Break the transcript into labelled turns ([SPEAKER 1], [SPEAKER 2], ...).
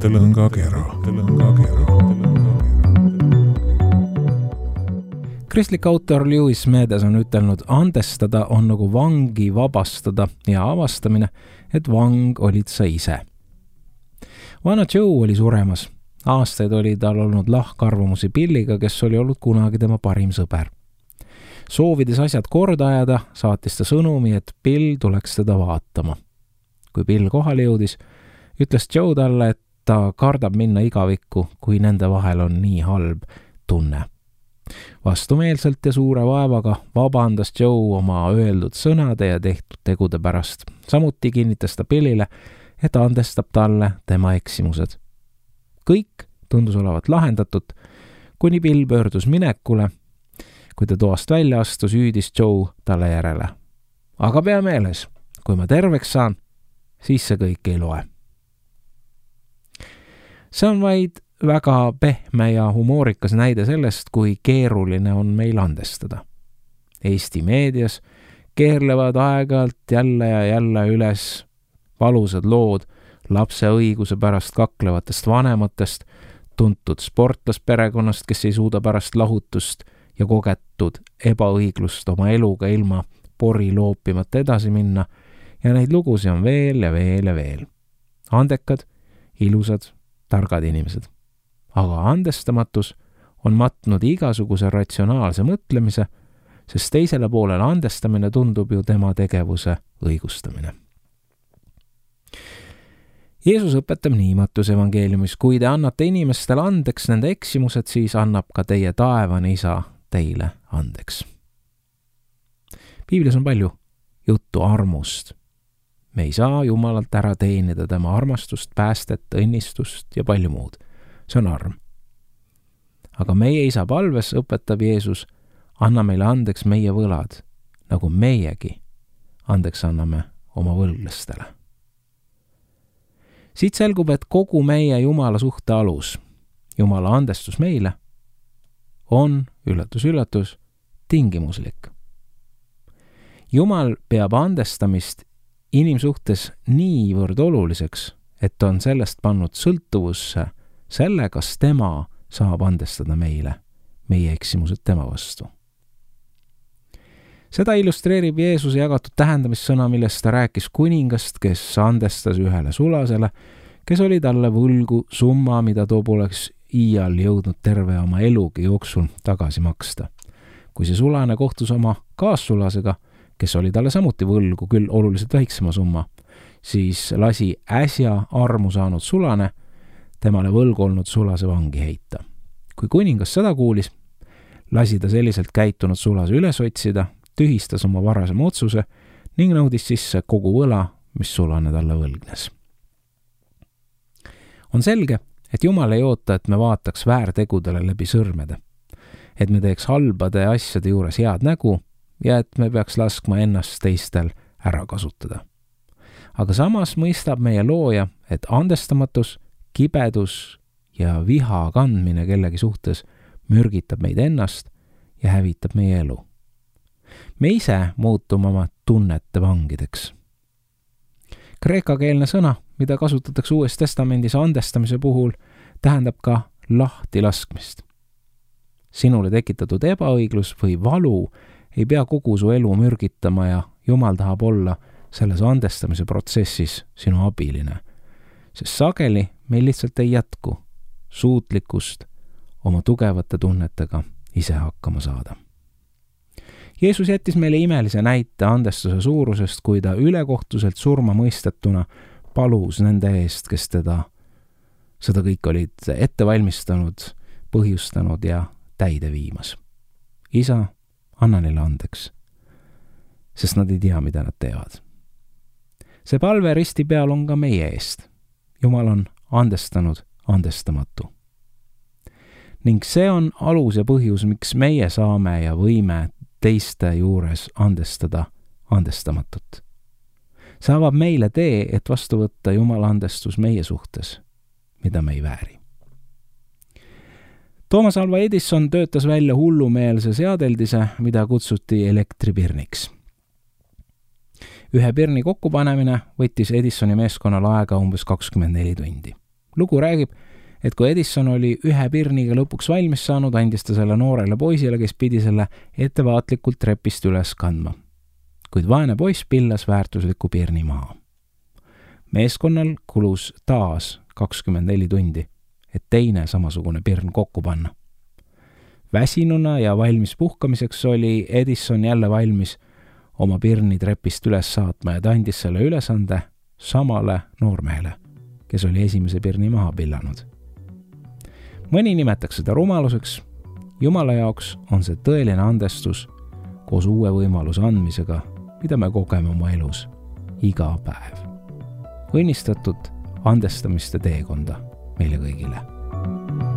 [SPEAKER 1] mõttelõngakera.
[SPEAKER 2] Kristlik autor Lewis Medes on ütelnud, andestada on nagu vangi vabastada ja avastamine, et vang olid sa ise. Vana Joe oli suremas. Aastaid oli tal olnud lahkarvamusi Billiga, kes oli olnud kunagi tema parim sõber. Soovides asjad korda ajada, saatis ta sõnumi, et Bill tuleks teda vaatama. Kui Bill kohale jõudis, ütles Joe talle, et ta kardab minna igavikku, kui nende vahel on nii halb tunne. Vastumeelselt ja suure vaevaga vabandas Joe oma öeldud sõnade ja tehtud tegude pärast. Samuti kinnitas ta Billile, et andestab talle tema eksimused. Kõik tundus olevat lahendatud, kuni Bill pöördus minekule. Kui ta toast välja astus, hüüdis Joe talle järele. Aga pea meeles, kui ma terveks saan, siis see kõik ei loe. See on vaid väga pehme ja humoorikas näide sellest, kui keeruline on meil andestada. Eesti meedias keerlevad aeg-ajalt jälle ja jälle üles valusad lood lapse õiguse pärast kaklevatest vanematest, tuntud sportlasperekonnast, kes ei suuda pärast lahutust ja kogetud ebaõiglust oma eluga ilma pori loopimata edasi minna, ja neid lugusid on veel ja veel ja veel. Andekad, ilusad, targad inimesed. Aga andestamatus on matnud igasuguse ratsionaalse mõtlemise, sest teisele poolele andestamine tundub ju tema tegevuse õigustamine. Jeesus õpetab nii Mattuse evangeeliumis, kui te annate inimestele andeks nende eksimused, siis annab ka teie taevane isa teile andeks. Piiblis on palju juttu armust. Me ei saa Jumalalt ära teenida tema armastust, päästet, õnnistust ja palju muud. See on arm. Aga meie isa palves õpetab Jeesus, anna meile andeks meie võlad, nagu meiegi andeks anname oma võlglastele. Siit selgub, et kogu meie Jumala suhte alus, Jumala andestus meile, on, üllatus, tingimuslik. Jumal peab andestamist inimsuhtes niivõrd oluliseks, et on sellest pannud sõltuvusse selle, kas tema saab andestada meile, meie eksimused tema vastu. Seda illustreerib Jeesuse jagatud tähendamissõna, millest ta rääkis kuningast, kes andestas ühele sulasele, kes oli talle võlgu summa, mida too poleks iial jõudnud terve oma elugi jooksul tagasi maksta. Kui see sulane kohtus oma kaassulasega, kes oli talle samuti võlgu, küll oluliselt väiksema summa, siis lasi äsja armu saanud sulane temale võlgu olnud sulase vangi heita. Kui kuningas seda kuulis, lasi ta selliselt käitunud sulase üles otsida, tühistas oma varasema otsuse ning nõudis sisse kogu võla, mis sulane talle võlgnes. On selge, et Jumal ei oota, et me vaataks väärtegudele läbi sõrmede, et me teeks halbade asjade juures head nägu ja et me peaks laskma ennast teistel ära kasutada. Aga samas mõistab meie looja, et andestamatus, kibedus ja viha kandmine kellegi suhtes mürgitab meid ennast ja hävitab meie elu. Me ise muutume oma tunnete vangideks. Kreekakeelne sõna, mida kasutatakse Uues Testamendis andestamise puhul, tähendab ka lahtilaskmist. Sinule tekitatud ebaõiglus või valu ei pea kogu su elu mürgitama ja Jumal tahab olla selles andestamise protsessis sinu abiline, sest sageli meil lihtsalt ei jätku suutlikkust oma tugevate tunnetega ise hakkama saada. Jeesus jättis meile imelise näite andestuse suurusest, kui ta ülekohtuselt surma mõistetuna palus nende eest, kes seda kõik olid ette valmistanud, põhjustanud ja täide viimas. Isa, anna neile andeks, sest nad ei tea, mida nad teevad. See palve risti peal on ka meie eest. Jumal on andestanud andestamatu. Ning see on alus ja põhjus, miks meie saame ja võime teiste juures andestada andestamatut. See avab meile tee, et vastu võtta Jumala andestus meie suhtes, mida me ei vääri. Thomas Alva Edison töötas välja hullumeelse seadeldise, mida kutsuti elektripirniks. Ühe pirni kokkupanemine võttis Edisoni meeskonnal aega umbes 24 tundi. lugu räägib, et kui Edison oli ühe pirniga lõpuks valmis saanud, andis ta selle noorele poisile, kes pidi selle ettevaatlikult trepist üles kandma. Kuid vaene poiss pillas väärtusliku pirni maha. Meeskonnal kulus taas 24 tundi, et teine samasugune pirn kokku panna. Väsinuna ja valmis puhkamiseks oli Edison jälle valmis oma pirni trepist üles saatma ja ta andis selle ülesande samale noormehele, kes oli esimese pirni maha pillanud. Mõni nimetaks seda rumaluseks, Jumala jaoks on see tõeline andestus koos uue võimaluse andmisega, mida me kogeme oma elus iga päev. Õnnistatud andestamiste teekonda meile kõigile!